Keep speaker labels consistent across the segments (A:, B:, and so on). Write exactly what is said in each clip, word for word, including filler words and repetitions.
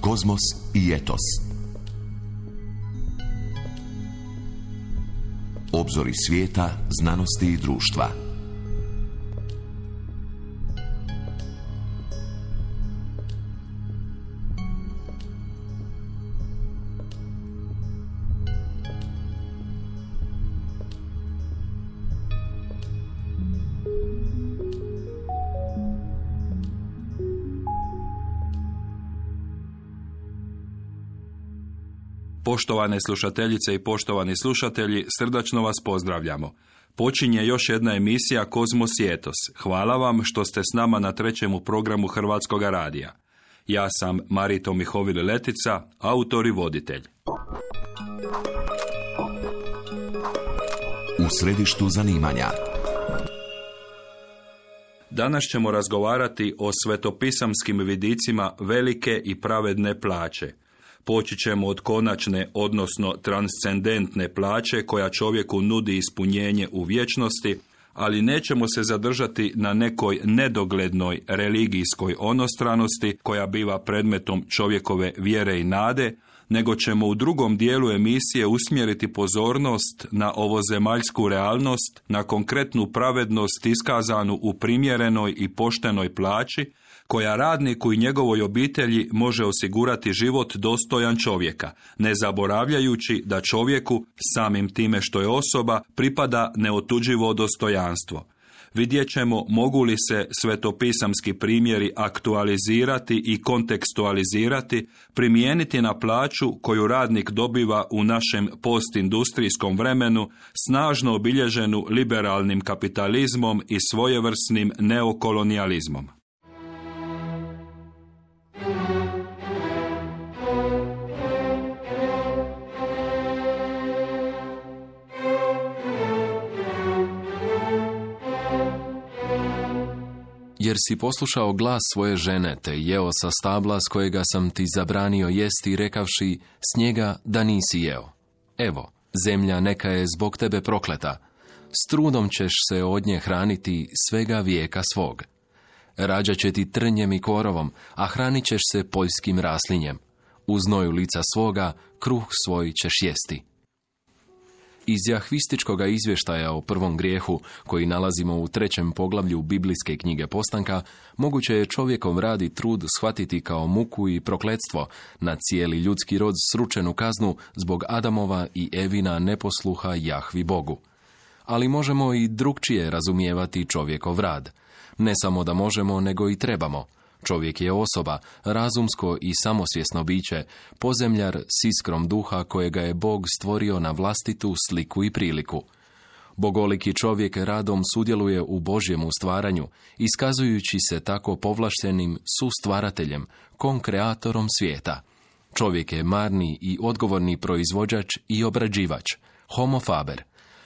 A: Kozmos i etos. Obzori svijeta, znanosti i društva.
B: Poštovane slušateljice i poštovani slušatelji, srdačno vas pozdravljamo. Počinje još jedna emisija Kozmos i etos. Hvala vam što ste s nama na trećemu programu Hrvatskog radija. Ja sam Marito Mihovil Letica, autor i voditelj.
A: U središtu zanimanja.
B: Danas ćemo razgovarati o svetopisamskim vidicima velike i pravedne plaće. Poći ćemo od konačne, odnosno transcendentne plaće koja čovjeku nudi ispunjenje u vječnosti, ali nećemo se zadržati na nekoj nedoglednoj religijskoj onostranosti koja biva predmetom čovjekove vjere i nade, nego ćemo u drugom dijelu emisije usmjeriti pozornost na ovozemaljsku realnost, na konkretnu pravednost iskazanu u primjerenoj i poštenoj plaći, koja radniku i njegovoj obitelji može osigurati život dostojan čovjeka, ne zaboravljajući da čovjeku, samim time što je osoba, pripada neotuđivo dostojanstvo. Vidjet ćemo mogu li se svetopisamski primjeri aktualizirati i kontekstualizirati, primijeniti na plaću koju radnik dobiva u našem postindustrijskom vremenu, snažno obilježenu liberalnim kapitalizmom i svojevrsnim neokolonijalizmom.
C: Jer si poslušao glas svoje žene, te jeo sa stabla s kojega sam ti zabranio jesti, rekavši s njega da nisi jeo. Evo, zemlja neka je zbog tebe prokleta, s trudom ćeš se od nje hraniti svega vijeka svog. Rađat će ti trnjem i korovom, a hranit ćeš se poljskim raslinjem. U znoju lica svoga kruh svoj ćeš jesti. Iz jahvističkoga izvještaja o prvom grijehu, koji nalazimo u trećem poglavlju biblijske knjige Postanka, moguće je čovjekov rad i trud shvatiti kao muku i prokletstvo na cijeli ljudski rod sručenu kaznu zbog Adamova i Evina neposluha Jahvi Bogu. Ali možemo i drukčije razumijevati čovjekov rad. Ne samo da možemo, nego i trebamo. Čovjek je osoba, razumsko i samosvjesno biće, pozemljar s iskrom duha kojega je Bog stvorio na vlastitu sliku i priliku. Bogoliki čovjek radom sudjeluje u Božjemu stvaranju, iskazujući se tako povlaštenim sustvarateljem, konkreatorom svijeta. Čovjek je marni i odgovorni proizvođač i obrađivač, homo faber.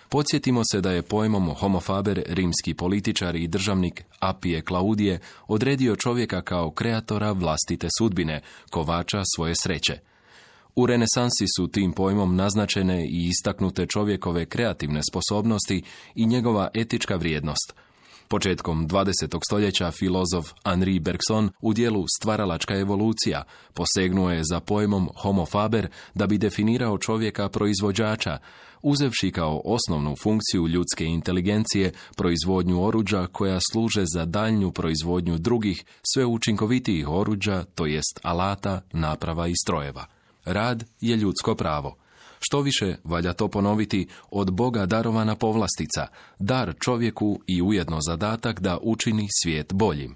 C: Podsjetimo se da je pojmom homo faber rimski političar i državnik Apije Klaudije odredio čovjeka kao kreatora vlastite sudbine, kovača svoje sreće. U renesansi su tim pojmom naznačene i istaknute čovjekove kreativne sposobnosti i njegova etička vrijednost. Početkom dvadesetog stoljeća filozof Henri Bergson u dijelu Stvaralačka evolucija posegnuo je za pojmom homo faber da bi definirao čovjeka proizvođača, uzevši kao osnovnu funkciju ljudske inteligencije proizvodnju oruđa koja služe za daljnju proizvodnju drugih, sve učinkovitijih oruđa, to jest alata, naprava i strojeva. Rad je ljudsko pravo. Što više, valja to ponoviti, od Boga darovana povlastica, dar čovjeku i ujedno zadatak da učini svijet boljim.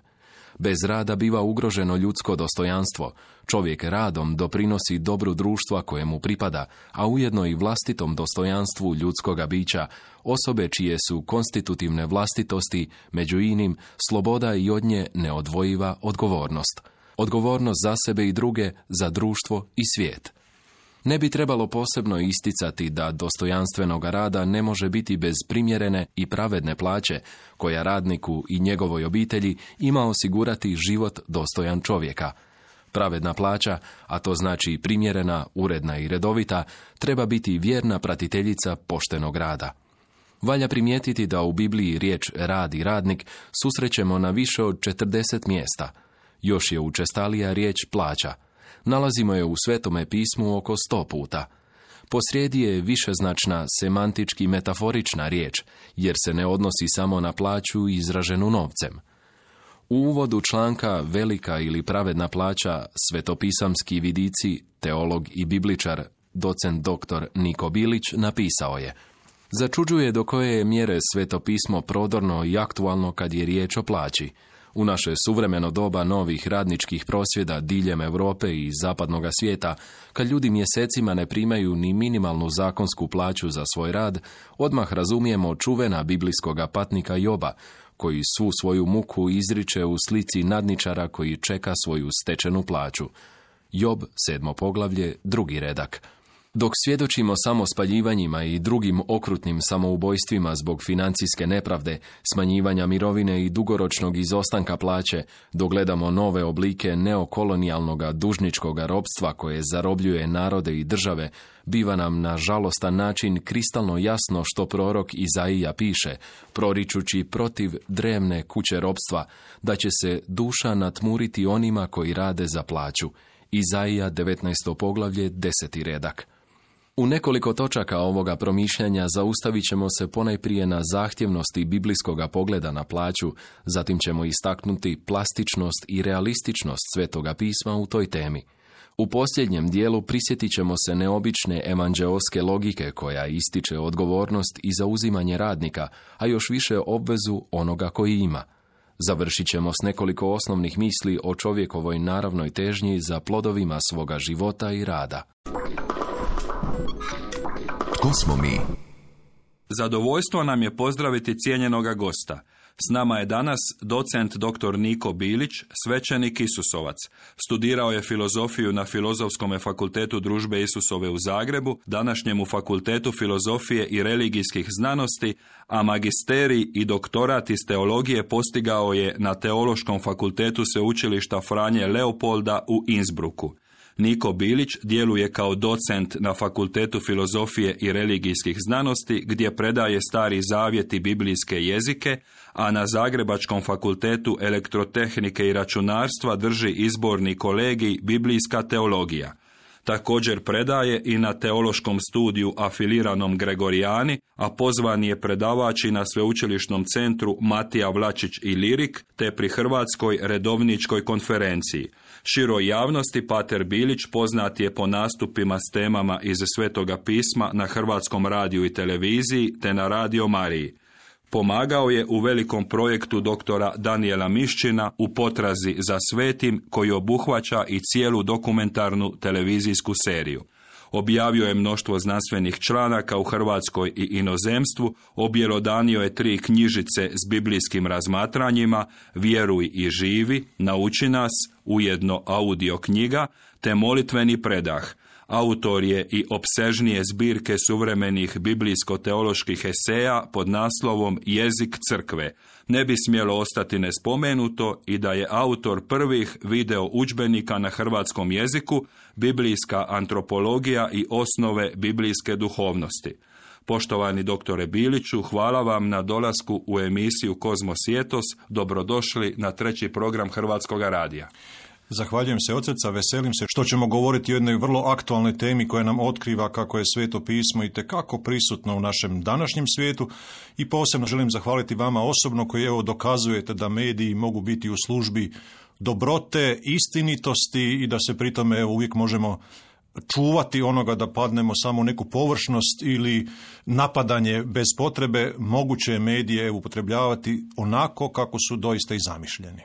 C: Bez rada biva ugroženo ljudsko dostojanstvo. Čovjek radom doprinosi dobru društva kojemu pripada, a ujedno i vlastitom dostojanstvu ljudskoga bića, osobe čije su konstitutivne vlastitosti, među inim, sloboda i od nje neodvojiva odgovornost. Odgovornost za sebe i druge, za društvo i svijet. Ne bi trebalo posebno isticati da dostojanstvenoga rada ne može biti bez primjerene i pravedne plaće, koja radniku i njegovoj obitelji ima osigurati život dostojan čovjeka. Pravedna plaća, a to znači primjerena, uredna i redovita, treba biti vjerna pratiteljica poštenog rada. Valja primijetiti da u Bibliji riječ rad i radnik susrećemo na više od četrdeset mjesta. Još je učestalija riječ plaća. Nalazimo je u Svetome pismu oko sto puta. Posrijedi je višeznačna, semantički metaforična riječ, jer se ne odnosi samo na plaću izraženu novcem. U uvodu članka Velika ili pravedna plaća, svetopisamski vidici, teolog i bibličar, docent doktor Niko Bilić, napisao je: začuđuje do koje je mjere svetopismo prodorno i aktualno kad je riječ o plaći. U naše suvremeno doba novih radničkih prosvjeda diljem Europe i zapadnog svijeta, kad ljudi mjesecima ne primaju ni minimalnu zakonsku plaću za svoj rad, odmah razumijemo čuvena biblijskoga patnika Joba, koji svu svoju muku izriče u slici nadničara koji čeka svoju stečenu plaću. Job, sedmo poglavlje, drugi redak. Dok svjedočimo samo spaljivanjima i drugim okrutnim samoubojstvima zbog financijske nepravde, smanjivanja mirovine i dugoročnog izostanka plaće, dogledamo nove oblike neokolonijalnog dužničkog ropstva koje zarobljuje narode i države, biva nam na žalostan način kristalno jasno što prorok Izaija piše, proričući protiv drevne kuće ropstva, da će se duša natmuriti onima koji rade za plaću. Izaija, devetnaesto poglavlje, deseti redak. U nekoliko točaka ovoga promišljanja zaustavit ćemo se ponajprije na zahtjevnosti biblijskoga pogleda na plaću, zatim ćemo istaknuti plastičnost i realističnost Svetoga pisma u toj temi. U posljednjem dijelu prisjetit ćemo se neobične evanđeoske logike koja ističe odgovornost i zauzimanje radnika, a još više obvezu onoga koji ima. Završit ćemo s nekoliko osnovnih misli o čovjekovoj naravnoj težnji za plodovima svoga života i rada.
A: Tko smo mi?
B: Zadovoljstvo nam je pozdraviti cijenjenoga gosta. S nama je danas docent doktor Niko Bilić, svećenik Isusovac. Studirao je filozofiju na Filozofskom fakultetu Družbe Isusove u Zagrebu, današnjemu Fakultetu filozofije i religijskih znanosti, a magisterij i doktorat iz teologije postigao je na Teološkom fakultetu Sveučilišta Franje Leopolda u Innsbrucku. Niko Bilić djeluje kao docent na Fakultetu filozofije i religijskih znanosti, gdje predaje Stari zavjet i biblijske jezike, a na Zagrebačkom fakultetu elektrotehnike i računarstva drži izborni kolegij Biblijska teologija. Također predaje i na teološkom studiju afiliranom Gregorijani, a pozvan je predavač i na Sveučilišnom centru Matija Vlačić i Lirik, te pri Hrvatskoj redovničkoj konferenciji. Široj javnosti pater Bilić poznat je po nastupima s temama iz Svetoga pisma na Hrvatskom radiju i televiziji, te na Radio Mariji. Pomagao je u velikom projektu doktora Danijela Miščina u potrazi za svetim, koji obuhvaća i cijelu dokumentarnu televizijsku seriju. Objavio je mnoštvo znanstvenih članaka u Hrvatskoj i inozemstvu, objelodanio je tri knjižice s biblijskim razmatranjima, Vjeruj i živi, Nauči nas, ujedno audio knjiga, te Molitveni predah. Autor je i opsežnije zbirke suvremenih biblijsko-teoloških eseja pod naslovom Jezik crkve. Ne bi smjelo ostati nespomenuto i da je autor prvih video udžbenika na hrvatskom jeziku, Biblijska antropologija i osnove biblijske duhovnosti. Poštovani doktore Biliću, hvala vam na dolasku u emisiju Kozmos i Etos. Dobrodošli na treći program Hrvatskog radija.
D: Zahvaljujem se od srca, veselim se što ćemo govoriti o jednoj vrlo aktualnoj temi koja nam otkriva kako je Sveto pismo itekako prisutno u našem današnjem svijetu, i posebno želim zahvaliti vama osobno koji evo dokazujete da mediji mogu biti u službi dobrote, istinitosti i da se pritome evo uvijek možemo čuvati onoga da padnemo samo u neku površnost ili napadanje bez potrebe. Moguće je medije upotrebljavati onako kako su doista i zamišljeni.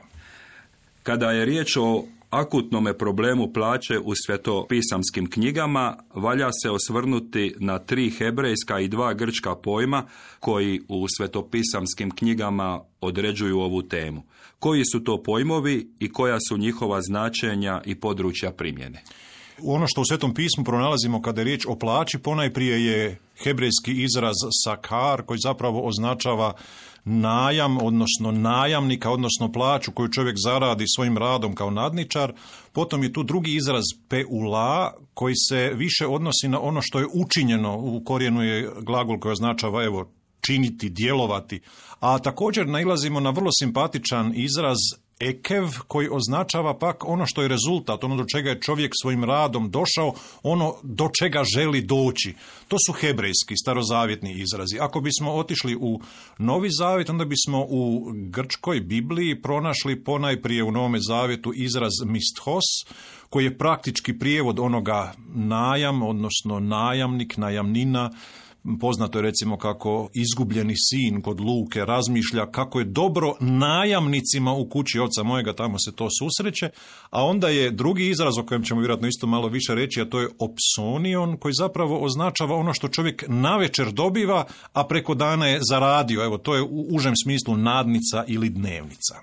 B: Kada je riječ o akutnome problemu plaće u svetopisamskim knjigama, valja se osvrnuti na tri hebrejska i dva grčka pojma koji u svetopisamskim knjigama određuju ovu temu. Koji su to pojmovi i koja su njihova značenja i područja primjene?
D: Ono što u Svetom pismu pronalazimo kada je riječ o plaći, ponajprije je hebrejski izraz sakar, koji zapravo označava najam, odnosno najamnika, odnosno plaću koju čovjek zaradi svojim radom kao nadničar. Potom je tu drugi izraz peula, koji se više odnosi na ono što je učinjeno. U korijenu je glagol koji označava evo činiti, djelovati. A također nailazimo na vrlo simpatičan izraz ekev, koji označava pak ono što je rezultat, ono do čega je čovjek svojim radom došao, ono do čega želi doći. To su hebrejski, starozavjetni izrazi. Ako bismo otišli u Novi Zavjet, onda bismo u grčkoj Bibliji pronašli ponajprije u Novome Zavjetu izraz misthos, koji je praktički prijevod onoga najam, odnosno najamnik, najamnina. Poznato je recimo kako izgubljeni sin kod Luke razmišlja kako je dobro najamnicima u kući oca mojega, tamo se to susreće, a onda je drugi izraz o kojem ćemo vjerojatno isto malo više reći, a to je opsonion, koji zapravo označava ono što čovjek navečer dobiva, a preko dana je zaradio. Evo, to je u užem smislu nadnica ili dnevnica.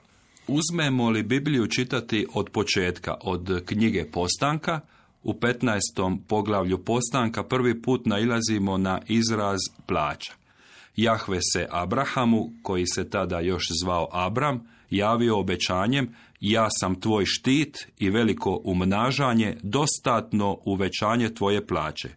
B: Uzmemo li Bibliju čitati od početka, od knjige Postanka, u petnaestom poglavlju Postanka prvi put nailazimo na izraz plaća. Jahve se Abrahamu, koji se tada još zvao Abram, javio obećanjem: ja sam tvoj štit i veliko umnažanje, dostatno uvećanje tvoje plaće.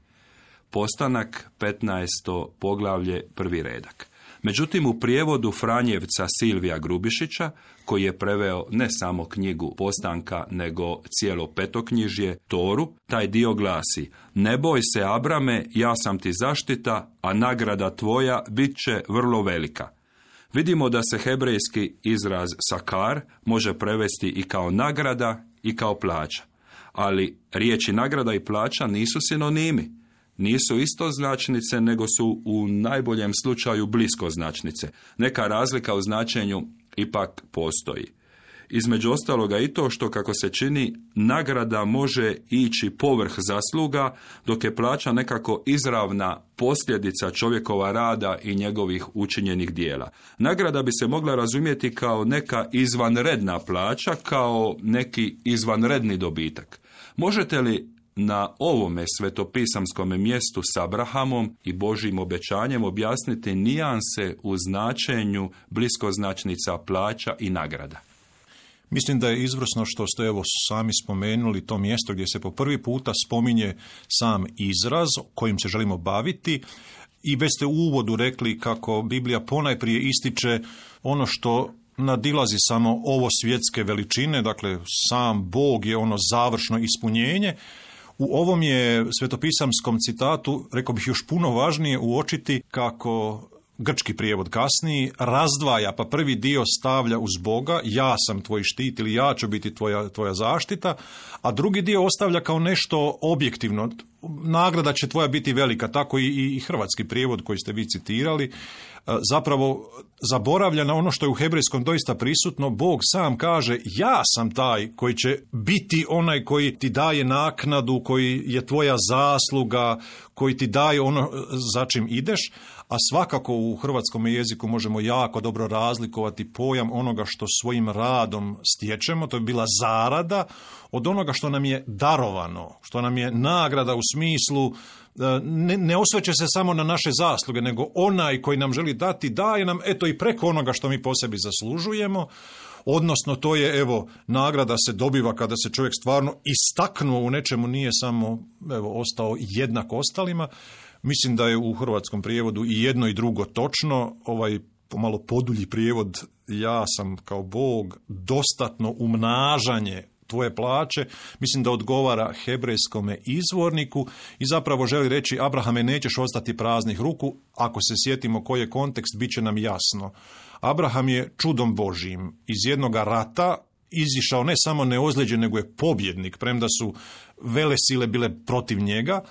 B: Postanak, petnaesto poglavlje, prvi redak. Međutim, u prijevodu Franjevca Silvija Grubišića, koji je preveo ne samo knjigu Postanka, nego cijelo petoknjižje, Toru, taj dio glasi: ne boj se, Abrame, ja sam ti zaštita, a nagrada tvoja bit će vrlo velika. Vidimo da se hebrejski izraz sakar može prevesti i kao nagrada i kao plaća. Ali riječi nagrada i plaća nisu sinonimi. Nisu istoznačnice, nego su u najboljem slučaju bliskoznačnice. Neka razlika u značenju ipak postoji. Između ostaloga i to što, kako se čini, nagrada može ići povrh zasluga, dok je plaća nekako izravna posljedica čovjekova rada i njegovih učinjenih dijela. Nagrada bi se mogla razumjeti kao neka izvanredna plaća, kao neki izvanredni dobitak. Možete li na ovome svetopisamskom mjestu s Abrahamom i Božjim obećanjem objasniti nijanse u značenju bliskoznačnica plaća i nagrada?
D: Mislim da je izvrsno što ste evo sami spomenuli to mjesto gdje se po prvi puta spominje sam izraz kojim se želimo baviti, i već ste u uvodu rekli kako Biblija ponajprije ističe ono što nadilazi samo ovo svjetske veličine, dakle sam Bog je ono završno ispunjenje. U ovom je svetopisamskom citatu, rekao bih, još puno važnije uočiti kako grčki prijevod kasniji razdvaja, pa prvi dio stavlja uz Boga, ja sam tvoj štit ili ja ću biti tvoja, tvoja zaštita, a drugi dio ostavlja kao nešto objektivno. Nagrada će tvoja biti velika, tako i, i hrvatski prijevod koji ste vi citirali zapravo zaboravlja na ono što je u hebrejskom doista prisutno. Bog sam kaže: ja sam taj koji će biti onaj koji ti daje naknadu, koji je tvoja zasluga, koji ti daje ono za čim ideš. A svakako u hrvatskom jeziku možemo jako dobro razlikovati pojam onoga što svojim radom stječemo, to je bila zarada, od onoga što nam je darovano, što nam je nagrada u smislu ne, ne osveće se samo na naše zasluge, nego onaj koji nam želi dati daje nam eto i preko onoga što mi po sebi zaslužujemo. Odnosno, to je, evo, nagrada se dobiva kada se čovjek stvarno istaknuo u nečemu, nije samo, evo, ostao jednak ostalima. Mislim da je u hrvatskom prijevodu i jedno i drugo točno. Ovaj pomalo podulji prijevod, ja sam kao Bog, dostatno umnažanje tvoje plaće, mislim da odgovara hebrejskome izvorniku i zapravo želi reći: Abrahame, nećeš ostati praznih ruku. Ako se sjetimo koji je kontekst, bit će nam jasno. Abraham je čudom Božjim iz jednoga rata izišao ne samo neozlijeđen, nego je pobjednik, premda su velesile bile protiv njega,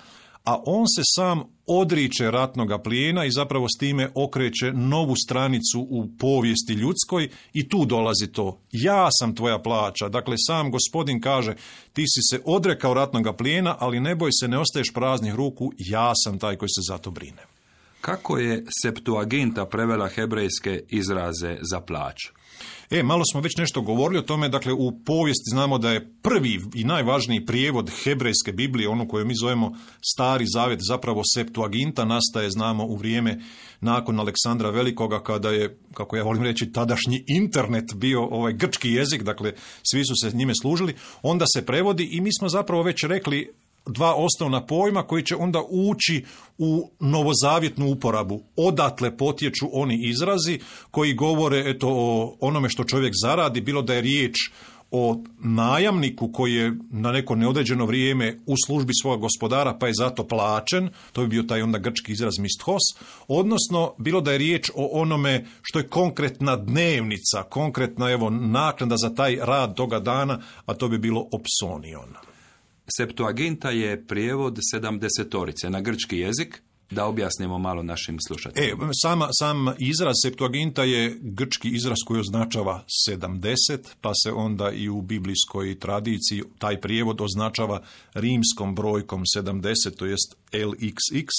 D: a on se sam odriče ratnoga plijena i zapravo s time okreće novu stranicu u povijesti ljudskoj i tu dolazi to: ja sam tvoja plaća. Dakle, sam Gospodin kaže: ti si se odrekao ratnoga plijena, ali ne boj se, ne ostaješ praznih ruku, ja sam taj koji se za to brine.
B: Kako je Septuaginta prevela hebrejske izraze za plaću?
D: E, malo smo već nešto govorili o tome. Dakle, u povijesti znamo da je prvi i najvažniji prijevod hebrejske Biblije, ono koju mi zovemo Stari Zavjet, zapravo Septuaginta, nastaje, znamo, u vrijeme nakon Aleksandra Velikoga, kada je, kako ja volim reći, tadašnji internet bio ovaj grčki jezik, dakle, svi su se njime služili. Onda se prevodi i mi smo zapravo već rekli dva osnovna pojma koji će onda ući u novozavjetnu uporabu. Odatle potječu oni izrazi koji govore eto, o onome što čovjek zaradi, bilo da je riječ o najamniku koji je na neko neodređeno vrijeme u službi svoga gospodara pa je zato plaćen, to bi bio taj onda grčki izraz misthos, odnosno bilo da je riječ o onome što je konkretna dnevnica, konkretna evo naknada za taj rad toga dana, a to bi bilo opsonion.
B: Septuaginta je prijevod sedamdesetorice na grčki jezik. Da objasnimo malo našim slušateljima.
D: E, sama, sam izraz Septuaginta je grčki izraz koji označava sedamdeset, pa se onda i u biblijskoj tradiciji taj prijevod označava rimskom brojkom sedamdeset, to jest el iks iks,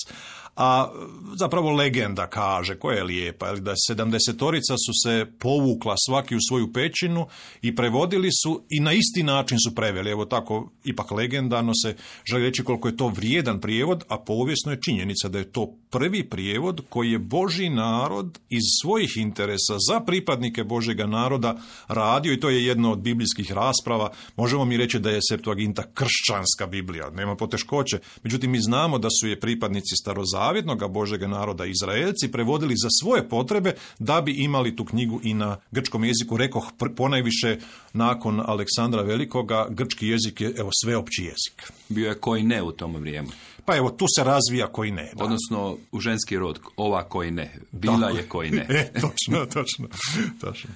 D: a zapravo legenda kaže, koja je lijepa, da sedamdesetorica su se povukla svaki u svoju pećinu i prevodili su i na isti način su preveli. Evo tako, ipak legendano se želi reći koliko je to vrijedan prijevod, a povijesno je činjenica da je to prvi prijevod koji je Božji narod iz svojih interesa za pripadnike Božjega naroda radio i to je jedno od biblijskih rasprava. Možemo mi reći da je Septuaginta kršćanska Biblija, nema poteškoće. Međutim, mi znamo da su je pripadnici starozavjetnog Božjega naroda Izraelci prevodili za svoje potrebe da bi imali tu knjigu i na grčkom jeziku. Rekoh, ponajviše nakon Aleksandra Velikoga, grčki jezik je evo sveopći jezik.
B: Bio je koji ne u tom vrijeme.
D: Pa evo, tu se razvija koji ne. Da.
B: Odnosno, u ženski rod, ova koji ne. Bila Tako. je koji ne.
D: E, točno, točno, točno.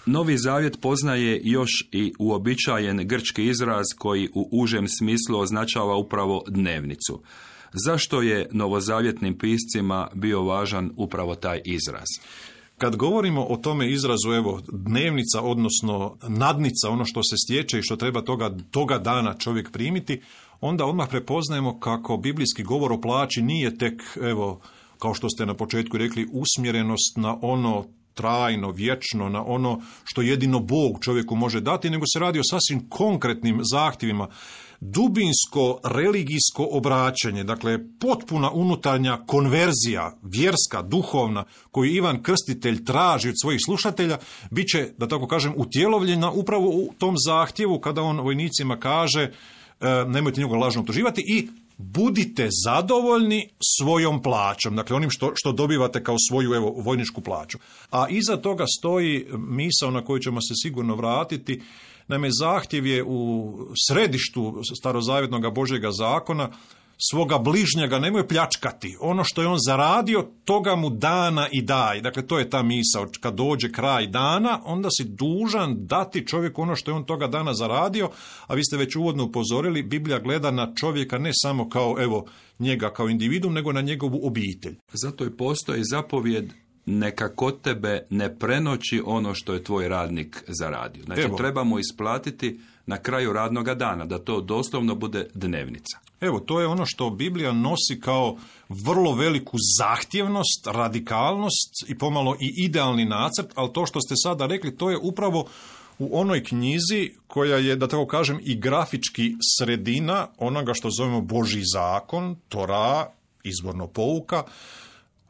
B: Novi Zavjet poznaje još i uobičajen grčki izraz koji u užem smislu označava upravo dnevnicu. Zašto je novozavjetnim piscima bio važan upravo taj izraz?
D: Kad govorimo o tome izrazu, evo, dnevnica, odnosno nadnica, ono što se stječe i što treba toga, toga dana čovjek primiti, onda odmah prepoznajemo kako biblijski govor o plaći nije tek, evo, kao što ste na početku rekli, usmjerenost na ono trajno, vječno, na ono što jedino Bog čovjeku može dati, nego se radi o sasvim konkretnim zahtjevima. Dubinsko religijsko obraćanje, dakle potpuna unutarnja konverzija, vjerska, duhovna, koju Ivan Krstitelj traži od svojih slušatelja, bit će, da tako kažem, utjelovljena upravo u tom zahtjevu kada on vojnicima kaže e, nemojte njegovo lažno optuživati i budite zadovoljni svojom plaćom, dakle onim što, što dobivate kao svoju evo, vojničku plaću. A iza toga stoji misao na koju ćemo se sigurno vratiti. Naime, zahtjev je u središtu starozavjetnog Božjega zakona, svoga bližnjega nemoj pljačkati. Ono što je on zaradio, toga mu dana i daj. Dakle, to je ta misao. Kad dođe kraj dana, onda si dužan dati čovjeku ono što je on toga dana zaradio, a vi ste već uvodno upozorili, Biblija gleda na čovjeka ne samo kao, evo, njega kao individu, nego na njegovu obitelj.
B: Zato i postoji zapovjed neka kod tebe ne prenoći ono što je tvoj radnik zaradio. Znači, evo, treba mu isplatiti na kraju radnoga dana, da to doslovno bude dnevnica.
D: Evo, to je ono što Biblija nosi kao vrlo veliku zahtjevnost, radikalnost i pomalo i idealni nacrt, ali to što ste sada rekli, to je upravo u onoj knjizi koja je, da tako kažem, i grafički sredina onoga što zovemo Božji zakon, Tora, izvorno pouka.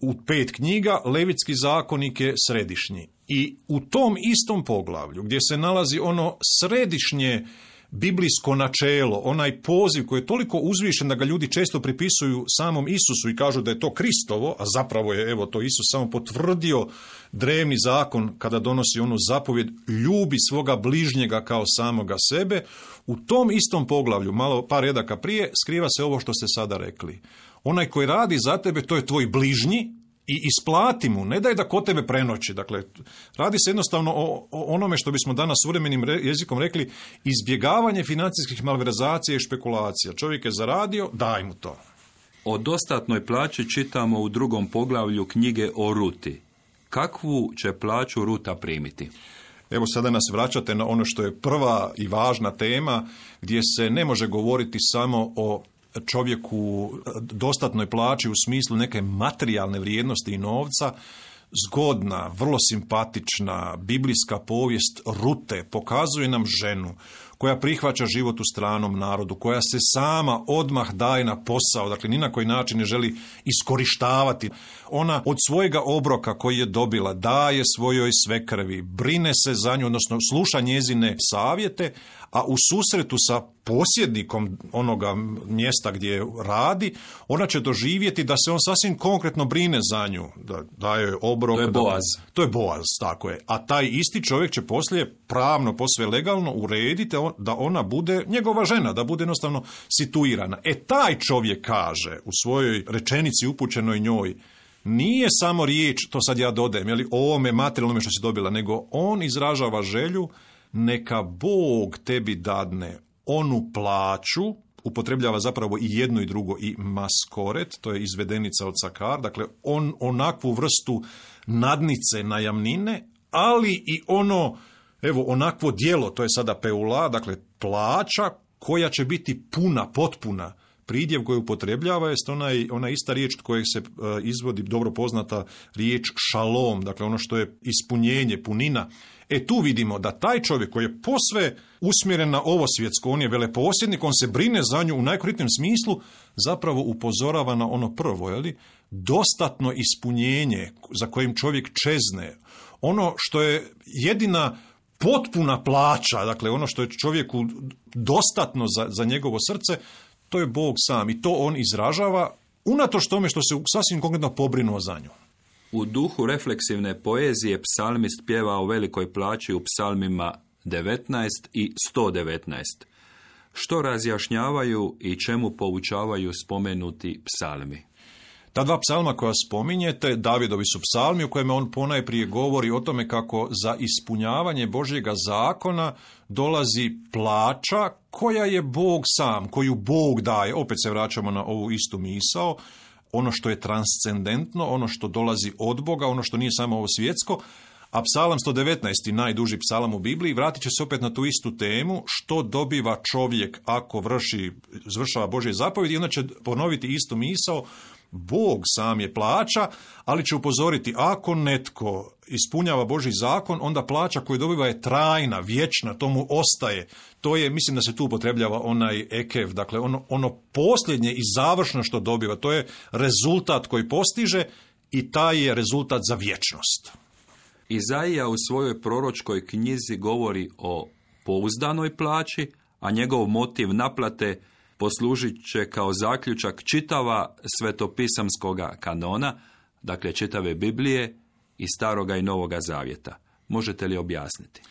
D: U pet knjiga Levitski zakonik je središnji. I u tom istom poglavlju gdje se nalazi ono središnje biblijsko načelo, onaj poziv koji je toliko uzvišen da ga ljudi često pripisuju samom Isusu i kažu da je to Kristovo, a zapravo je evo to Isus samo potvrdio drevni zakon kada donosi onu zapovjed ljubi svoga bližnjega kao samoga sebe. U tom istom poglavlju, malo par redaka prije, skriva se ovo što ste sada rekli. Onaj koji radi za tebe, to je tvoj bližnji i isplati mu, ne daj da kod tebe prenoći. Dakle, radi se jednostavno o, o onome što bismo danas suvremenim re, jezikom rekli izbjegavanje financijskih malverzacija i špekulacija. Čovjek je zaradio, daj mu to.
B: O dostatnoj plaći čitamo u drugom poglavlju knjige o Ruti. Kakvu će plaću Ruta primiti?
D: Evo sada nas vraćate na ono što je prva i važna tema, gdje se ne može govoriti samo o čovjeku dostatnoj plaći u smislu neke materijalne vrijednosti i novca. Zgodna, vrlo simpatična biblijska povijest Rute pokazuje nam ženu koja prihvaća život u stranom narodu, koja se sama odmah daje na posao, dakle ni na koji način ne želi iskorištavati. Ona od svojega obroka koji je dobila daje svojoj svekrvi, brine se za nju, odnosno sluša njezine savjete, a u susretu sa posjednikom onoga mjesta gdje radi, ona će doživjeti da se on sasvim konkretno brine za nju, da daje joj obrok.
B: To je Boaz.
D: Da, to je Boaz, tako je. A taj isti čovjek će poslije pravno, posve legalno urediti da ona bude njegova žena, da bude jednostavno situirana. E taj čovjek kaže u svojoj rečenici upućenoj njoj, nije samo riječ, to sad ja dodajem, jeli, o ovome materijalnome što si dobila, nego on izražava želju, neka Bog tebi dadne onu plaću, upotrebljava zapravo i jedno i drugo, i maskoret, to je izvedenica od Sakar, dakle on onakvu vrstu nadnice, najamnine, ali i ono, evo, onakvo djelo, to je sada peula, dakle plaća koja će biti puna, potpuna. Pridjev koju upotrebljava jest onaj, ona ista riječ kojeg se uh, izvodi dobro poznata riječ šalom, dakle ono što je ispunjenje, punina. E tu vidimo da taj čovjek koji je posve usmjeren na ovo svjetsko, on je veleposjednik, on se brine za nju u najkoritnijem smislu, zapravo upozorava na ono prvo, jeli? Dostatno ispunjenje za kojim čovjek čezne, ono što je jedina potpuna plaća, dakle ono što je čovjeku dostatno za, za njegovo srce, to je Bog sam i to on izražava unatoč tome što se sasvim konkretno pobrinuo za nju.
B: U duhu refleksivne poezije psalmist pjeva o velikoj plaći u psalmima devetnaest i sto devetnaest. Što razjašnjavaju i čemu poučavaju spomenuti psalmi?
D: Ta dva psalma koja spominjete, Davidovi su psalmi u kojima on ponajprije govori o tome kako za ispunjavanje Božjega zakona dolazi plaća koja je Bog sam, koju Bog daje. Opet se vraćamo na ovu istu misao, ono što je transcendentno, ono što dolazi od Boga, ono što nije samo ovo svjetsko. A psalam sto devetnaest, najduži psalam u Bibliji, vratit će se opet na tu istu temu, što dobiva čovjek ako vrši, izvršava Božje zapovjedi, i onda će ponoviti istu misao, Bog sam je plaća, ali će upozoriti, ako netko ispunjava Božji zakon, onda plaća koju dobiva je trajna, vječna, to mu ostaje. To je, mislim da se tu upotrebljava onaj ekev, dakle ono, ono posljednje i završno što dobiva, to je rezultat koji postiže i taj je rezultat za vječnost.
B: Izaija u svojoj proročkoj knjizi govori o pouzdanoj plaći, a njegov motiv naplate poslužit će kao zaključak čitava svetopisamskoga kanona, dakle čitave Biblije i Staroga i Novoga Zavjeta. Možete li objasniti?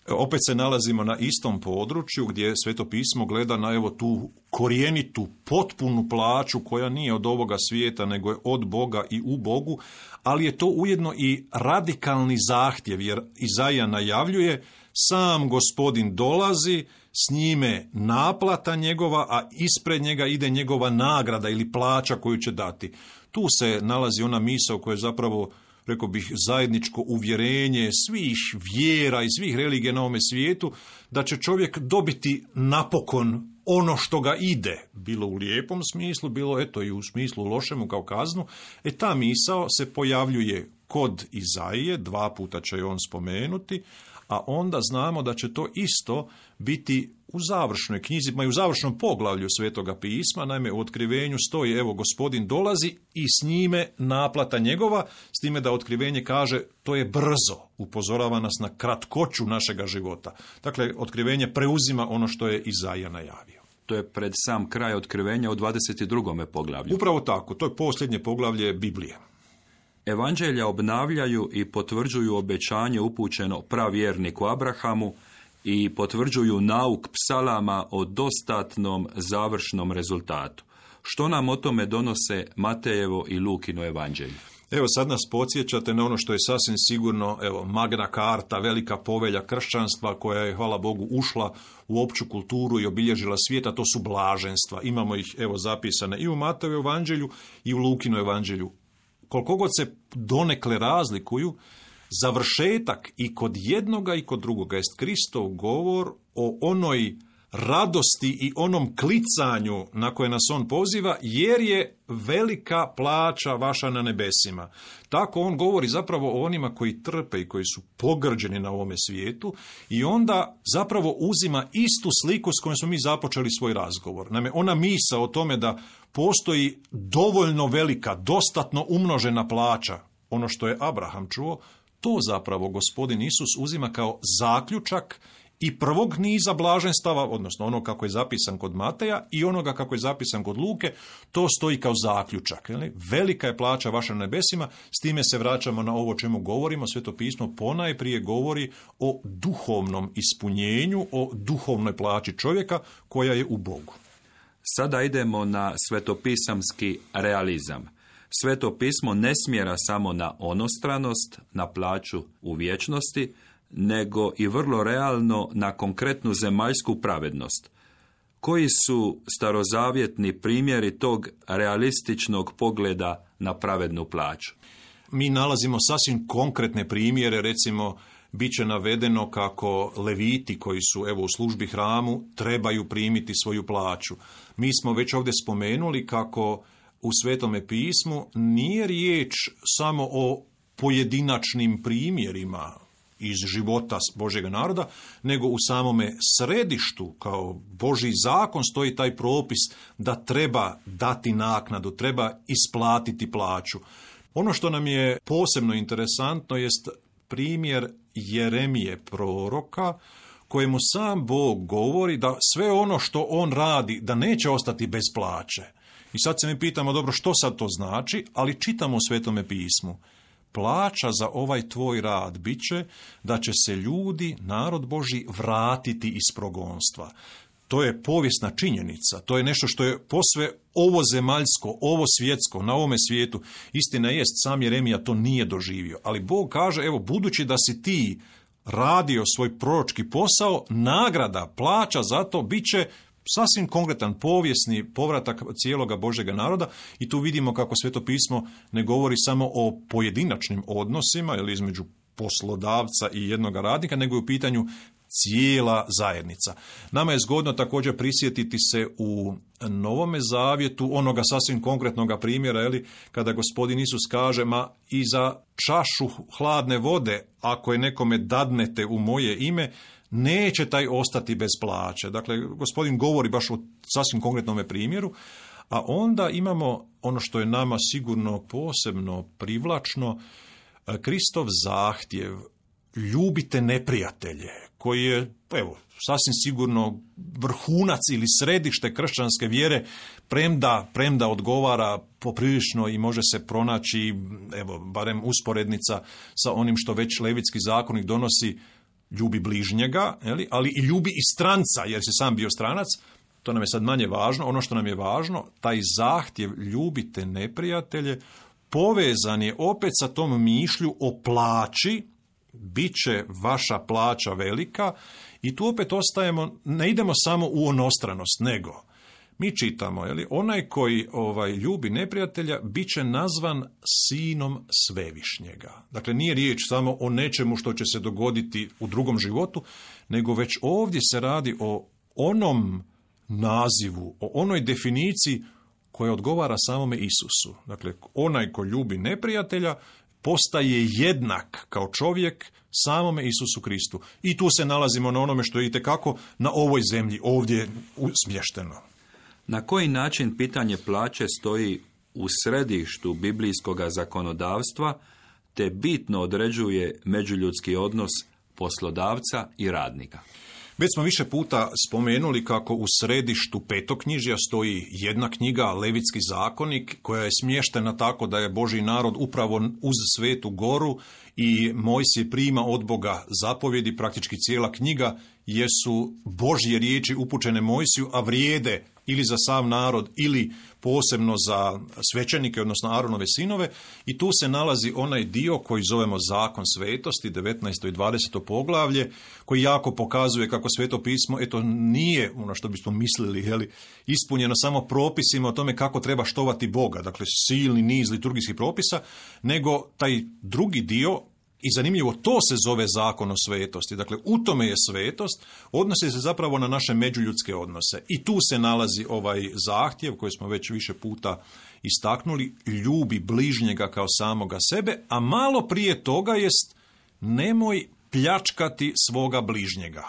D: Opet se nalazimo na istom području gdje Sveto pismo gleda na evo tu korijenitu, potpunu plaću koja nije od ovoga svijeta nego je od Boga i u Bogu, ali je to ujedno i radikalni zahtjev, jer Izaija najavljuje, sam Gospodin dolazi, s njime naplata njegova, a ispred njega ide njegova nagrada ili plaća koju će dati. Tu se nalazi ona misao koja je zapravo, rekao bih, zajedničko uvjerenje svih vjera i svih religija na ovome svijetu, da će čovjek dobiti napokon ono što ga ide, bilo u lijepom smislu, bilo eto i u smislu lošemu kao kaznu. E ta misao se pojavljuje kod Izaije, dva puta će je on spomenuti, a onda znamo da će to isto biti u završnoj knjizi, ma i u završnom poglavlju Svetoga pisma, naime u otkrivenju stoji, evo Gospodin dolazi i s njime naplata njegova, s time da otkrivenje kaže to je brzo, upozorava nas na kratkoću našega života. Dakle, otkrivenje preuzima ono što je Izaija najavio.
B: To je pred sam kraj otkrivenja u dvadeset drugom poglavlju.
D: Upravo tako, to je posljednje poglavlje Biblije.
B: Evanđelja obnavljaju i potvrđuju obećanje upućeno pravjerniku Abrahamu i potvrđuju nauk psalama o dostatnom završnom rezultatu. Što nam o tome donose Matejevo i Lukino evanđelje?
D: Evo sad nas podsjećate na ono što je sasvim sigurno, evo, Magna Carta, velika povelja kršćanstva koja je, hvala Bogu, ušla u opću kulturu i obilježila svijeta, to su blaženstva. Imamo ih, evo, zapisane i u Matejevu evanđelju i u Lukinu evanđelju. Koliko god se donekle razlikuju, završetak i kod jednoga i kod drugoga jest Kristov govor o onoj radosti i onom klicanju na koje nas on poziva, jer je velika plaća vaša na nebesima. Tako on govori zapravo o onima koji trpe i koji su pogrđeni na ovome svijetu i onda zapravo uzima istu sliku s kojom smo mi započeli svoj razgovor. Naime, ona misa o tome da postoji dovoljno velika, dostatno umnožena plaća, ono što je Abraham čuo, to zapravo gospodin Isus uzima kao zaključak i prvog niza blaženstava, odnosno ono kako je zapisan kod Mateja i onoga kako je zapisan kod Luke, to stoji kao zaključak. Jeli? Velika je plaća vaša na nebesima, s time se vraćamo na ovo čemu govorimo. Sveto pismo ponajprije govori o duhovnom ispunjenju, o duhovnoj plaći čovjeka koja je u Bogu.
B: Sada idemo na svetopisamski realizam. Sveto pismo ne smjera samo na onostranost, na plaću u vječnosti, nego i vrlo realno na konkretnu zemaljsku pravednost. Koji su starozavjetni primjeri tog realističnog pogleda na pravednu plaću?
D: Mi nalazimo sasvim konkretne primjere, recimo bit će navedeno kako leviti koji su evo u službi hramu trebaju primiti svoju plaću. Mi smo već ovdje spomenuli kako u Svetome pismu nije riječ samo o pojedinačnim primjerima iz života Božjega naroda, nego u samome središtu kao Božji zakon stoji taj propis da treba dati naknadu, treba isplatiti plaću. Ono što nam je posebno interesantno jest primjer Jeremije proroka, kojemu sam Bog govori da sve ono što on radi, da neće ostati bez plaće. I sad se mi pitamo, dobro, što sad to znači, ali čitamo u Svetome pismu. Plaća za ovaj tvoj rad bit će da će se ljudi, narod Božji, vratiti iz progonstva. To je povijesna činjenica, to je nešto što je posve ovo zemaljsko, ovo svjetsko, na ovome svijetu. Istina jest, sam Jeremija to nije doživio, ali Bog kaže, evo, budući da si ti radio svoj proročki posao, nagrada, plaća za to bit će sasvim konkretan povijesni povratak cijeloga Božjega naroda i tu vidimo kako Sveto pismo ne govori samo o pojedinačnim odnosima ili između poslodavca i jednoga radnika, nego je u pitanju cijela zajednica. Nama je zgodno također prisjetiti se u Novome zavjetu onoga sasvim konkretnoga primjera, eli, kada gospodin Isus kaže, ma i za čašu hladne vode, ako je nekome dadnete u moje ime, neće taj ostati bez plaće. Dakle, gospodin govori baš o sasvim konkretnome primjeru, a onda imamo ono što je nama sigurno posebno privlačno, Kristov zahtjev, ljubite neprijatelje, koji je, evo, sasvim sigurno vrhunac ili središte kršćanske vjere, premda, premda odgovara poprilično i može se pronaći, evo, barem usporednica sa onim što već Levitski zakonik donosi, ljubi bližnjega, ali i ljubi i stranca, jer si sam bio stranac. To nam je sad manje važno. Ono što nam je važno, taj zahtjev ljubite neprijatelje, povezan je opet sa tom mišlju o plaći, bit će vaša plaća velika, i tu opet ostajemo, ne idemo samo u onostranost, nego mi čitamo, jeli, onaj koji ovaj, ljubi neprijatelja bit će nazvan sinom Svevišnjega. Dakle, nije riječ samo o nečemu što će se dogoditi u drugom životu, nego već ovdje se radi o onom nazivu, o onoj definiciji koja odgovara samome Isusu. Dakle, onaj ko ljubi neprijatelja postaje jednak kao čovjek samome Isusu Kristu. I tu se nalazimo na onome što je itekako na ovoj zemlji ovdje smješteno.
B: Na koji način pitanje plaće stoji u središtu biblijskog zakonodavstva, te bitno određuje međuljudski odnos poslodavca i radnika?
D: Već smo više puta spomenuli kako u središtu petoknjižja stoji jedna knjiga, Levitski zakonik, koja je smještena tako da je Božji narod upravo uz Svetu goru i Mojsije prima od Boga zapovjedi. Praktički cijela knjiga jesu Božje riječi upućene Mojsiju, a vrijede ili za sav narod ili posebno za svećenike, odnosno Aronove sinove, i tu se nalazi onaj dio koji zovemo zakon svetosti, devetnaesto i dvadeseto poglavlje, koji jako pokazuje kako Sveto pismo, eto, nije ono što bismo mislili, jeli, ispunjeno samo propisima o tome kako treba štovati Boga, dakle silni niz liturgijskih propisa, nego taj drugi dio I zanimljivo, to se zove zakon o svetosti. Dakle, u tome je svetost, odnosi se zapravo na naše međuljudske odnose. I tu se nalazi ovaj zahtjev koji smo već više puta istaknuli, ljubi bližnjega kao samoga sebe, a malo prije toga jest nemoj pljačkati svoga bližnjega.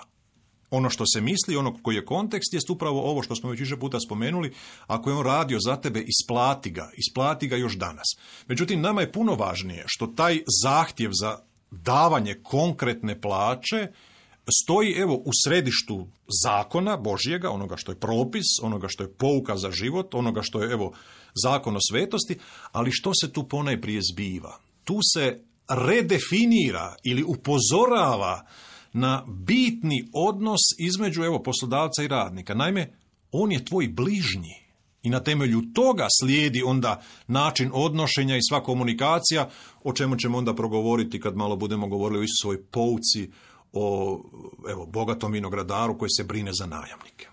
D: Ono što se misli, ono koji je kontekst, jest upravo ovo što smo već više puta spomenuli, ako je on radio za tebe, isplati ga, isplati ga još danas. Međutim, nama je puno važnije što taj zahtjev za davanje konkretne plaće stoji evo u središtu zakona Božjega, onoga što je propis, onoga što je pouka za život, onoga što je evo zakon o svetosti, ali što se tu ponajprije zbiva? Tu se redefinira ili upozorava na bitni odnos između evo poslodavca i radnika. Naime, on je tvoj bližnji i na temelju toga slijedi onda način odnošenja i sva komunikacija, o čemu ćemo onda progovoriti kad malo budemo govorili o Isusovoj pouci, o evo bogatom vinogradaru koji se brine za najamnike.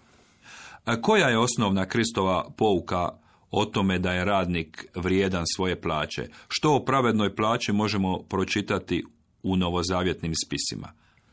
B: A koja je osnovna Kristova pouka o tome da je radnik vrijedan svoje plaće? Što o pravednoj plaći možemo pročitati u novozavjetnim spisima?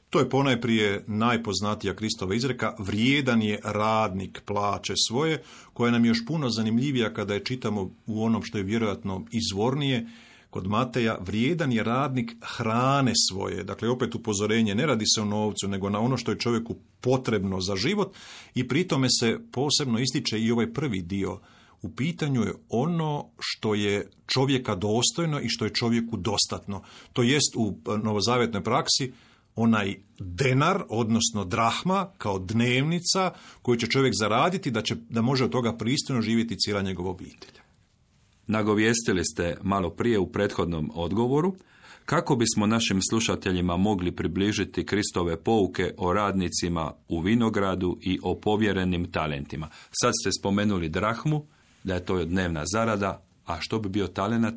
D: To je ponajprije najpoznatija Kristova izreka, vrijedan je radnik plaće svoje, koja nam je još puno zanimljivija kada je čitamo u onom što je vjerojatno izvornije, kod Mateja, vrijedan je radnik hrane svoje. Dakle, opet upozorenje, ne radi se o novcu, nego na ono što je čovjeku potrebno za život i pri tome se posebno ističe i ovaj prvi dio. U pitanju je ono što je čovjeka dostojno i što je čovjeku dostatno. To jest u novozavjetnoj praksi onaj denar, odnosno drahma, kao dnevnica koju će čovjek zaraditi da, će, da može od toga pristojno živjeti cijela njegova obitelj.
B: Nagovijestili ste malo prije u prethodnom odgovoru kako bismo našim slušateljima mogli približiti Kristove pouke o radnicima u vinogradu i o povjerenim talentima. Sad ste spomenuli drahmu, da je to dnevna zarada, a što bi bio talenat?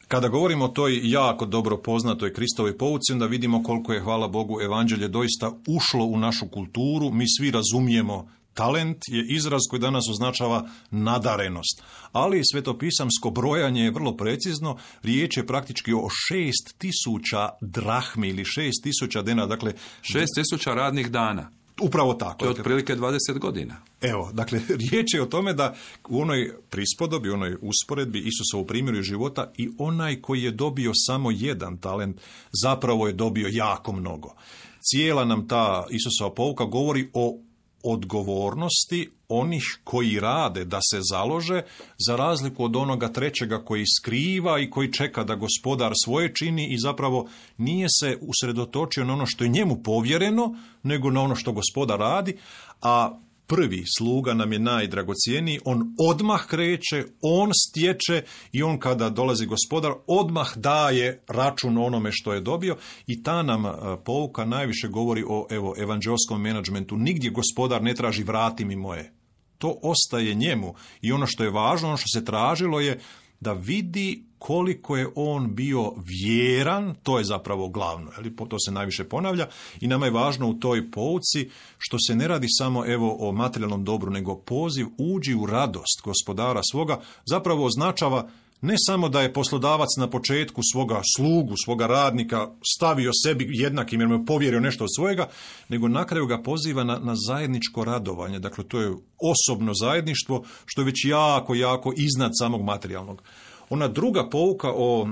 D: Kada govorimo o toj jako dobro poznatoj Kristovoj pouci, onda vidimo koliko je, hvala Bogu, evanđelje doista ušlo u našu kulturu. Mi svi razumijemo, talent je izraz koji danas označava nadarenost. Ali svetopisamsko brojanje je vrlo precizno. Riječ je praktički o šest tisuća drahmi ili šest tisuća denara. Dakle,
B: šest tisuća radnih dana.
D: Upravo tako.
B: To je otprilike dvadeset godina.
D: Evo, dakle, riječ je o tome da u onoj prispodobi, u onoj usporedbi Isusovu primjeru života i onaj koji je dobio samo jedan talent, zapravo je dobio jako mnogo. Cijela nam ta Isusova pouka govori o odgovornosti onih koji rade da se založe, za razliku od onoga trećega koji skriva i koji čeka da gospodar svoje čini i zapravo nije se usredotočio na ono što je njemu povjereno, nego na ono što gospodar radi, a prvi sluga nam je najdragocjeniji, on odmah kreće, on stječe i on kada dolazi gospodar odmah daje račun onome što je dobio i ta nam pouka najviše govori o evo evanđelskom menadžmentu. Nigdje gospodar ne traži vrati mi moje. To ostaje njemu i ono što je važno, ono što se tražilo je da vidi koliko je on bio vjeran, to je zapravo glavno, ali to se najviše ponavlja i nama je važno u toj pouci što se ne radi samo evo o materijalnom dobru, nego poziv uđi u radost gospodara svoga, zapravo označava ne samo da je poslodavac na početku svoga slugu, svoga radnika stavio sebi jednakim jer mu je povjerio nešto od svojega, nego na kraju ga poziva na, na zajedničko radovanje. Dakle, to je osobno zajedništvo što je već jako, jako iznad samog materijalnog. Ona druga pouka o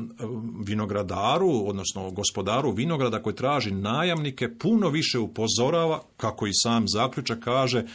D: vinogradaru, odnosno gospodaru vinograda koji traži najamnike, puno više upozorava, kako i sam zaključak kaže,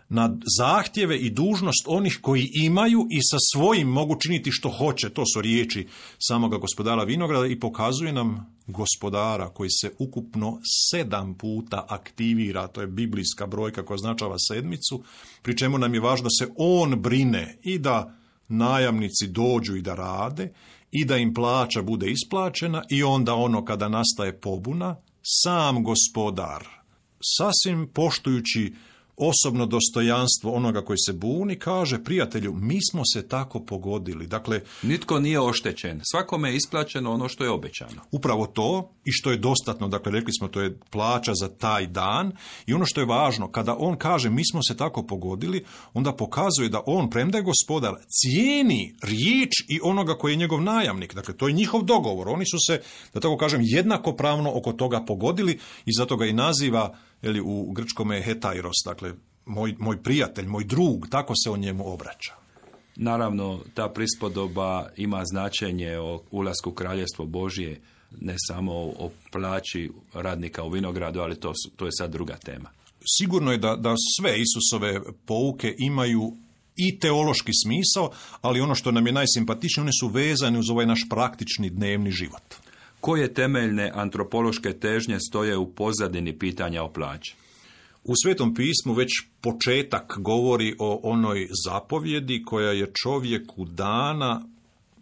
D: na zahtjeve i dužnost onih koji imaju i sa svojim mogu činiti što hoće. To su riječi samoga gospodara vinograda i pokazuje nam gospodara koji se ukupno sedam puta aktivira, to je biblijska brojka koja označava sedmicu, pri čemu nam je važno da se on brine i da najamnici dođu i da rade i da im plaća bude isplaćena i onda ono kada nastaje pobuna, sam gospodar, sasvim poštujući osobno dostojanstvo onoga koji se buni, kaže prijatelju, mi smo se tako pogodili. Dakle,
B: nitko nije oštećen, svakome je isplaćeno ono što je obećano.
D: Upravo to i što je dostatno, dakle rekli smo to je plaća za taj dan i ono što je važno, kada on kaže mi smo se tako pogodili, onda pokazuje da on, premda je gospodar, cijeni riječ i onoga koji je njegov najamnik. Dakle, to je njihov dogovor. Oni su se, da tako kažem, jednakopravno oko toga pogodili i zato ga i naziva, ili u grčkome je hetairos, dakle, moj, moj prijatelj, moj drug, tako se on njemu obraća.
B: Naravno, ta prispodoba ima značenje o ulasku u Kraljevstvo Božje, ne samo o plaći radnika u vinogradu, ali to, to je sad druga tema.
D: Sigurno je da, da sve Isusove pouke imaju i teološki smisao, ali ono što nam je najsimpatičnije, one su vezane uz ovaj naš praktični dnevni život.
B: Koje temeljne antropološke težnje stoje u pozadini pitanja o plaći?
D: U Svetom pismu već početak govori o onoj zapovjedi koja je čovjeku dana,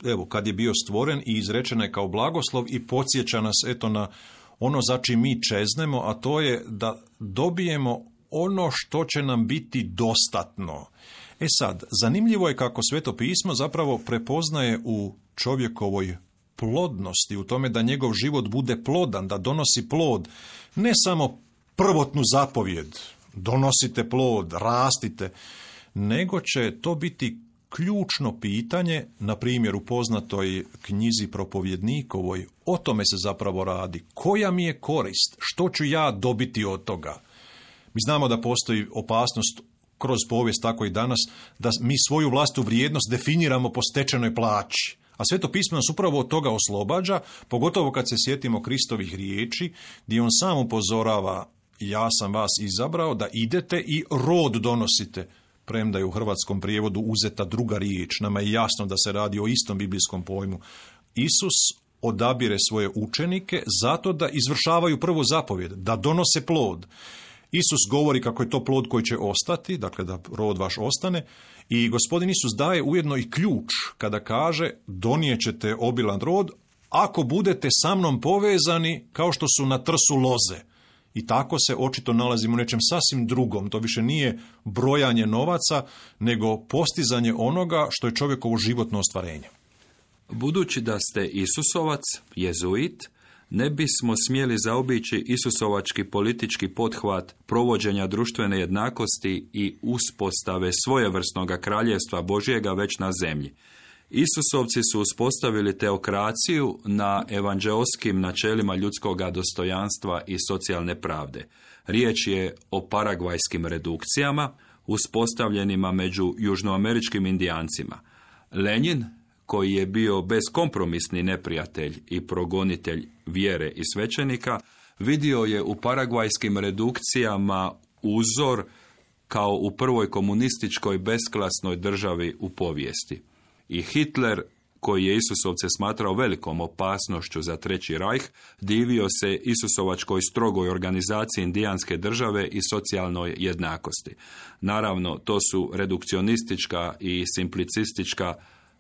D: evo, kad je bio stvoren i izrečena je kao blagoslov i podsjeća nas eto na ono za čim mi čeznemo, a to je da dobijemo ono što će nam biti dostatno. E sad, zanimljivo je kako Sveto pismo zapravo prepoznaje u čovjekovoj plodnosti, u tome da njegov život bude plodan, da donosi plod, ne samo prvotnu zapovjed, donosite plod, rastite, nego će to biti ključno pitanje, na primjer u poznatoj knjizi Propovjednikovoj, o tome se zapravo radi. Koja mi je korist? Što ću ja dobiti od toga? Mi znamo da postoji opasnost kroz povijest, tako i danas, da mi svoju vlastitu vrijednost definiramo po stečenoj plaći. A Sveto pismo nas upravo od toga oslobađa, pogotovo kad se sjetimo Kristovih riječi, gdje on sam upozorava, ja sam vas izabrao da idete i rod donosite, premda je u hrvatskom prijevodu uzeta druga riječ. Nama je jasno da se radi o istom biblijskom pojmu. Isus odabire svoje učenike zato da izvršavaju prvu zapovjed, da donose plod. Isus govori kako je to plod koji će ostati, dakle da rod vaš ostane, i Gospodin Isus daje ujedno i ključ kada kaže donijet ćete obilan rod ako budete sa mnom povezani kao što su na trsu loze. I tako se očito nalazimo u nečem sasvim drugom. To više nije brojanje novaca, nego postizanje onoga što je čovjekovo životno ostvarenje.
B: Budući da ste Isusovac, jezuit, ne bismo smjeli zaobići isusovački politički pothvat provođenja društvene jednakosti i uspostave svojevrsnog kraljevstva Božjega već na zemlji. Isusovci su uspostavili teokraciju na evanđeoskim načelima ljudskog dostojanstva i socijalne pravde. Riječ je o paragvajskim redukcijama, uspostavljenima među južnoameričkim indijancima. Lenin, koji je bio beskompromisni neprijatelj i progonitelj vjere i svećenika, vidio je u paragvajskim redukcijama uzor kao u prvoj komunističkoj besklasnoj državi u povijesti. I Hitler, koji je Isusovce smatrao velikom opasnošću za Treći rajh, divio se Isusovačkoj strogoj organizaciji indijanske države i socijalnoj jednakosti. Naravno, to su redukcionistička i simplicistička,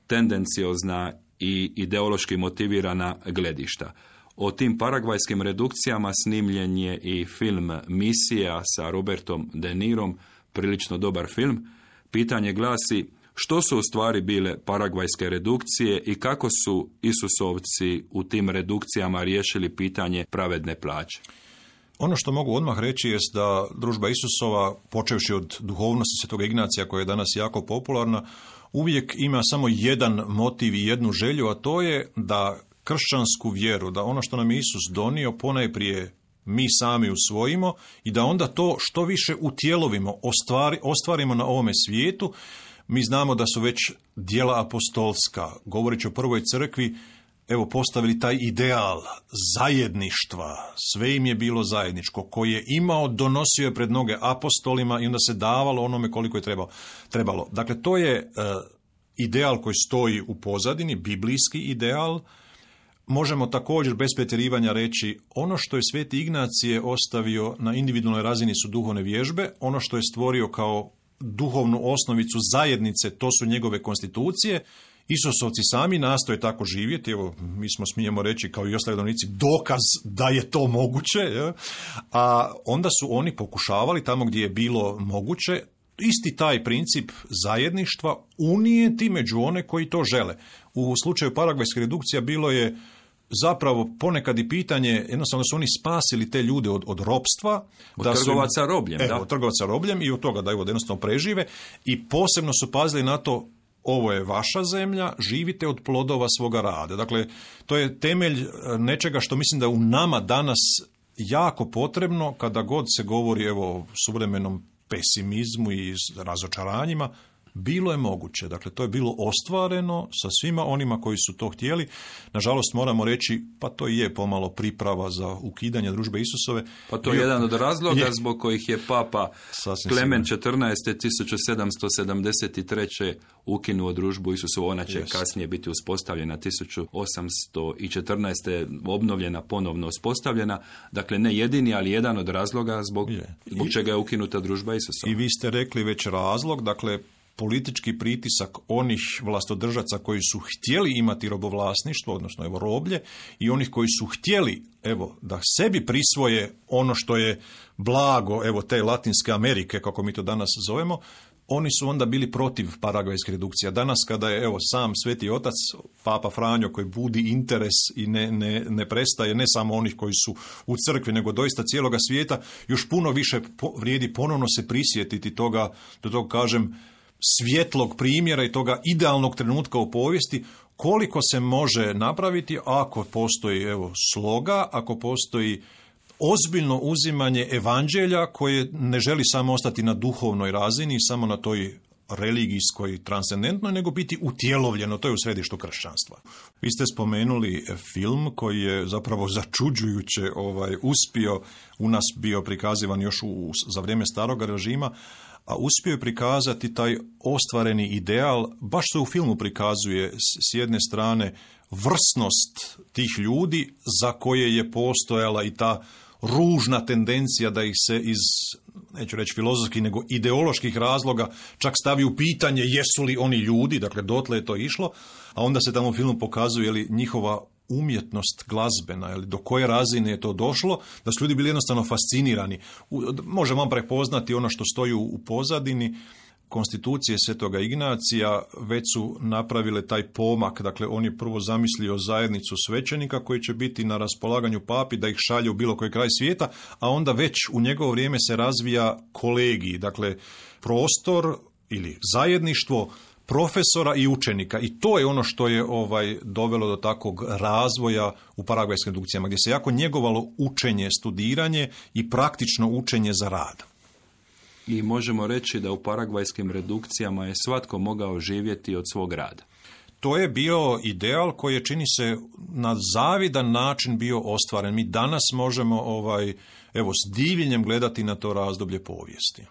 B: tendenciozna i ideološki motivirana gledišta. O tim paragvajskim redukcijama snimljen je i film Misija sa Robertom De Nirom, prilično dobar film. Pitanje glasi, što su u stvari bile paragvajske redukcije i kako su Isusovci u tim redukcijama riješili pitanje pravedne plaće?
D: Ono što mogu odmah reći jest da družba Isusova, počevši od duhovnosti Svetog Ignacija, koja je danas jako popularna, uvijek ima samo jedan motiv i jednu želju, a to je da kršćansku vjeru, da ono što nam je Isus donio, ponajprije mi sami usvojimo i da onda to što više utjelovimo, ostvari, ostvarimo na ovome svijetu. Mi znamo da su već djela apostolska, govoreći o prvoj crkvi, evo postavili taj ideal zajedništva, sve im je bilo zajedničko, koji je imao, donosio je pred noge apostolima i onda se davalo onome koliko je trebalo. trebalo. Dakle, to je uh, ideal koji stoji u pozadini, biblijski ideal. Možemo također bez pretjerivanja reći, ono što je Sveti Ignacije ostavio na individualnoj razini su duhovne vježbe, ono što je stvorio kao duhovnu osnovicu zajednice, to su njegove konstitucije, Isusovci sami nastoje tako živjeti, evo mi smo, smijemo reći kao i ostali redovnici, dokaz da je to moguće, je? A onda su oni pokušavali tamo gdje je bilo moguće isti taj princip zajedništva unijeti među one koji to žele. U slučaju paragvajske redukcija bilo je zapravo ponekad i pitanje, jednostavno su oni spasili te ljude od, od ropstva.
B: Od
D: da
B: trgovaca
D: su,
B: robljem,
D: evo,
B: da.
D: Od trgovaca robljem i od toga da evo, da jednostavno prežive i posebno su pazili na to, ovo je vaša zemlja, živite od plodova svoga rada. Dakle, to je temelj nečega što mislim da u nama danas jako potrebno kada god se govori evo, o suvremenom pesimizmu i razočaranjima. Bilo je moguće, dakle to je bilo ostvareno sa svima onima koji su to htjeli. Nažalost moramo reći, pa to i je pomalo priprava za ukidanje družbe Isusove.
B: Pa to je jedan od razloga
D: je,
B: zbog kojih je Papa Klemen četrnaesti. tisuću sedamsto sedamdeset treće ukinuo družbu Isusovu. Ona će yes. kasnije biti uspostavljena tisuću osamsto četrnaeste. obnovljena, ponovno uspostavljena. Dakle, ne jedini, ali jedan od razloga zbog, zbog čega je ukinuta družba Isusova.
D: I vi ste rekli već razlog, dakle, politički pritisak onih vlastodržaca koji su htjeli imati robovlasništvo, odnosno evo roblje, i onih koji su htjeli evo da sebi prisvoje ono što je blago evo te Latinske Amerike, kako mi to danas zovemo, oni su onda bili protiv paragvajske redukcije. Danas kada je evo sam Sveti Otac, Papa Franjo, koji budi interes i ne, ne, ne prestaje, ne samo onih koji su u crkvi, nego doista cijeloga svijeta, još puno više po, vrijedi ponovno se prisjetiti toga, da to kažem, svjetlog primjera i toga idealnog trenutka u povijesti, koliko se može napraviti ako postoji evo sloga, ako postoji ozbiljno uzimanje evanđelja koje ne želi samo ostati na duhovnoj razini, samo na toj religijskoj, transcendentnoj, nego biti utjelovljeno, to je u središtu kršćanstva. Vi ste spomenuli film koji je zapravo začuđujuće ovaj, uspio, u nas bio prikazivan još u, za vrijeme starog režima, a uspio je prikazati taj ostvareni ideal, baš se u filmu prikazuje s jedne strane vrsnost tih ljudi za koje je postojala i ta ružna tendencija da ih se iz, neću reći filozofskih, nego ideoloških razloga čak stavi u pitanje jesu li oni ljudi, dakle dotle je to išlo, a onda se tamo u filmu pokazuje li njihova umjetnost glazbena, ili do koje razine je to došlo, da su ljudi bili jednostavno fascinirani. Možemo vam prepoznati ono što stoji u pozadini. Konstitucije Svetoga Ignacija već su napravile taj pomak, dakle on je prvo zamislio zajednicu svećenika koji će biti na raspolaganju papi da ih šalje u bilo koji kraj svijeta, a onda već u njegovo vrijeme se razvija kolegij, dakle prostor ili zajedništvo profesora i učenika, i to je ono što je ovaj dovelo do takvog razvoja u paragvajskim redukcijama, gdje se jako njegovalo učenje, studiranje i praktično učenje za rad.
B: I možemo reći da u paragvajskim redukcijama je svatko mogao živjeti od svog rada.
D: To je bio ideal koji je, čini se, na zavidan način bio ostvaren. Mi danas možemo ovaj, evo, s divljenjem gledati na to razdoblje povijesti.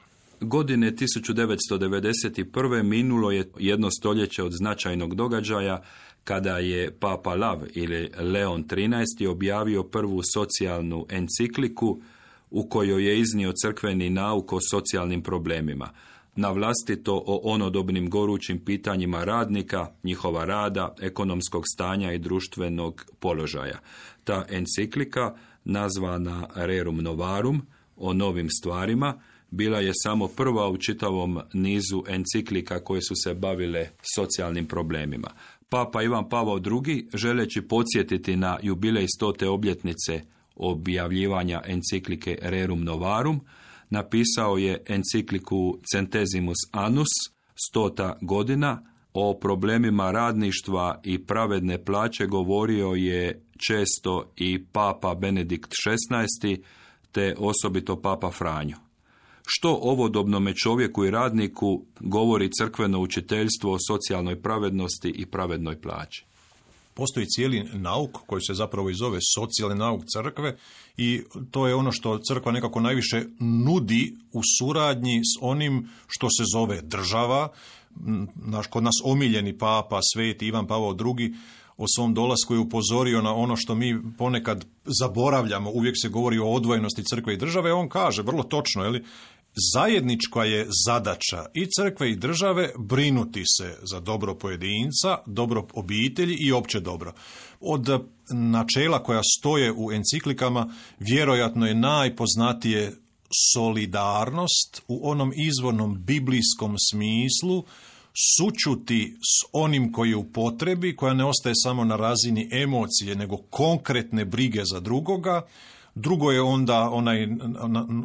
B: Godine tisuću devetsto devedeset prve. minulo je jedno stoljeće od značajnog događaja kada je Papa Lav ili Leon trinaesti. objavio prvu socijalnu encikliku u kojoj je iznio crkveni nauk o socijalnim problemima, na vlastito o onodobnim gorućim pitanjima radnika, njihova rada, ekonomskog stanja i društvenog položaja. Ta enciklika, nazvana Rerum Novarum, o novim stvarima, bila je samo prva u čitavom nizu enciklika koje su se bavile socijalnim problemima. Papa Ivan Pavao drugi, želeći podsjetiti na jubilej stote obljetnice objavljivanja enciklike Rerum Novarum, napisao je encikliku Centesimus Annus, stota godina. O problemima radništva i pravedne plaće govorio je često i Papa Benedikt šesnaesti. te osobito Papa Franjo. Što ovodobnome čovjeku i radniku govori crkveno učiteljstvo o socijalnoj pravednosti i pravednoj plaći?
D: Postoji cijeli nauk koji se zapravo i zove socijalni nauk crkve i to je ono što crkva nekako najviše nudi u suradnji s onim što se zove država. Naš, kod nas omiljeni papa, sveti Ivan Pavao drugi, o svom dolasku je upozorio na ono što mi ponekad zaboravljamo. Uvijek se govori o odvojenosti crkve i države. On kaže vrlo točno, je li, zajednička je zadaća i crkve i države brinuti se za dobro pojedinca, dobro obitelji i opće dobro. Od načela koja stoje u enciklikama vjerojatno je najpoznatije solidarnost u onom izvornom biblijskom smislu, sućuti s onim koji je u potrebi, koja ne ostaje samo na razini emocije, nego konkretne brige za drugoga. Drugo je onda onaj,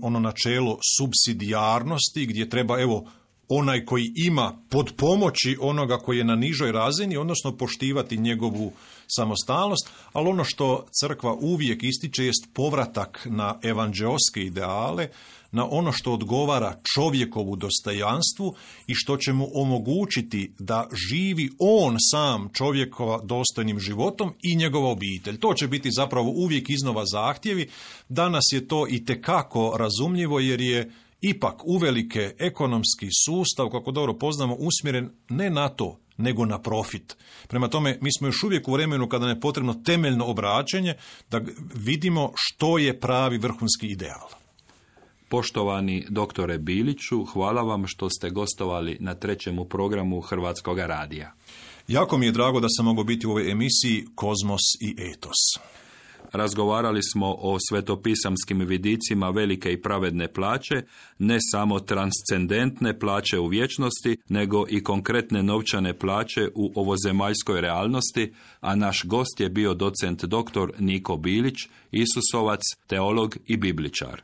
D: ono načelo supsidijarnosti, gdje treba, evo, onaj koji ima pod pomoći onoga koji je na nižoj razini, odnosno poštivati njegovu samostalnost, ali ono što crkva uvijek ističe jest povratak na evanđeoske ideale, na ono što odgovara čovjekovu dostojanstvu i što će mu omogućiti da živi on sam čovjekova dostojnim životom i njegova obitelj. To će biti zapravo uvijek iznova zahtjevi. Danas je to itekako razumljivo jer je ipak uvelike ekonomski sustav, kako dobro poznamo, usmjeren ne na to, nego na profit. Prema tome, mi smo još uvijek u vremenu kada nam je potrebno temeljno obraćanje da vidimo što je pravi vrhunski ideal.
B: Poštovani doktore Biliću, hvala vam što ste gostovali na trećemu programu Hrvatskog radija.
D: Jako mi je drago da sam mogao biti u ovoj emisiji Kozmos i etos.
B: Razgovarali smo o svetopisamskim vidicima velike i pravedne plaće, ne samo transcendentne plaće u vječnosti, nego i konkretne novčane plaće u ovozemaljskoj realnosti, a naš gost je bio docent doktor Niko Bilić, Isusovac, teolog i bibličar.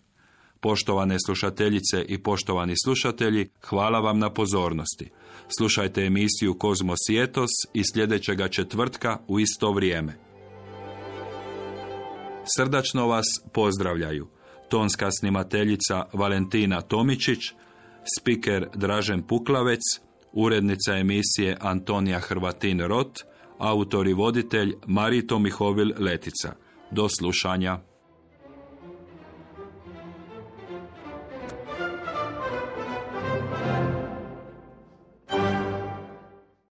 B: Poštovane slušateljice i poštovani slušatelji, hvala vam na pozornosti. Slušajte emisiju Kozmos i etos i sljedećega četvrtka u isto vrijeme. Srdačno vas pozdravljaju tonska snimateljica Valentina Tomičić, spiker Dražen Puklavec, urednica emisije Antonija Hrvatin-Rot, autor i voditelj Marito Mihovil Letica. Do slušanja.